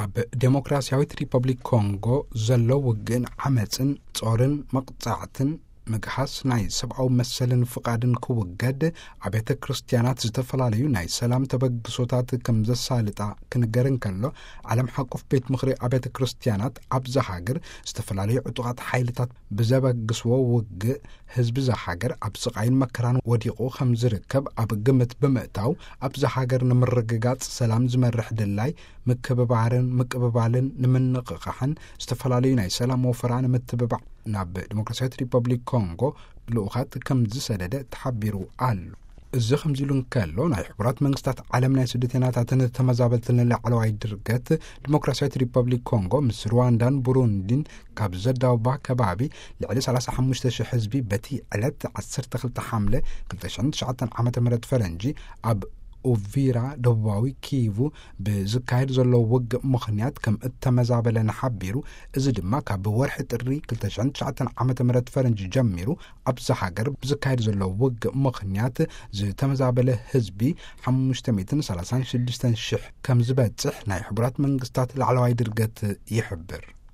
ኣብ ዴሞክራሲያዊት ሪፐብሊክ ኮንጎ ዘሎ ውግእን ዓመፅን ጾርን መቕጻዕትን ምግሃስ ናይ ሰብኣዊ መሰልን ፍቓድን ክውገድ፣ ኣብያተ ክርስትያናት ዝተፈላለዩ ናይ ሰላም ተበግሶታት ከም ዘሳልጣ ክንገር እንከሎ፣ ዓለም ሓቆፍ ቤት ምኽሪ ኣብያተ ክርስትያናት ኣብዛ ሃገር ዝተፈላለዩ ዕጡቓት ሓይልታት ብዘበግስዎ ውግእ ህዝቢ እዛ ሃገር ኣብ ስቓይን መከራን ወዲቑ ከም ዝርከብ ኣብ ግምት ብምእታው፣ ኣብዛ ሃገር ንምርግጋጽ ሰላም ዝመርሕ ድላይ ምክብባርን ምቅብባልን ንምንቕቓሕን ዝተፈላለዩ ናይ ሰላም ወፈራ ንምትብባዕ ናብ ዲሞክራሲያዊት ሪፐብሊክ ኮንጎ ልኡኻት ከም ዝሰደደ ተሓቢሩ ኣሎ። እዚ ከምዚ ኢሉ እንከሎ፣ ናይ ሕቡራት መንግስታት ዓለም ናይ ስደተኛታትን ተመዛበልትን ላዕለዋይ ድርገት ዲሞክራሲያዊት ሪፐብሊክ ኮንጎ ምስ ሩዋንዳን ቡሩንዲን ካብ ዘዳውባ ከባቢ ልዕሊ ሰላሳ ሓሙሽተ ሽሕ ህዝቢ በቲ ዕለት ዓሰርተ ክልተ ሓምለ ክልተ ሽሕን ትሽዓተን ዓመተ ምህረት ፈረንጂ ኣብ ኡቪራ ደቡባዊ ኪቩ ብዝካየድ ዘሎ ውግእ ምኽንያት ከም እተመዛበለ ንሓቢሩ። እዚ ድማ ካብ ወርሒ ጥሪ ክልተ ሽሕን ትሽዓተን ዓመተ ምህረት ፈረንጂ ጀሚሩ ኣብዛ ሃገር ብዝካየድ ዘሎ ውግእ ምኽንያት ዝተመዛበለ ህዝቢ ሓሙሽተ ሚእትን ሰላሳን ሽዱሽተን ሽሕ ከም ዝበጽሕ ናይ ሕቡራት መንግስታት ላዕለዋይ ድርገት ይሕብር።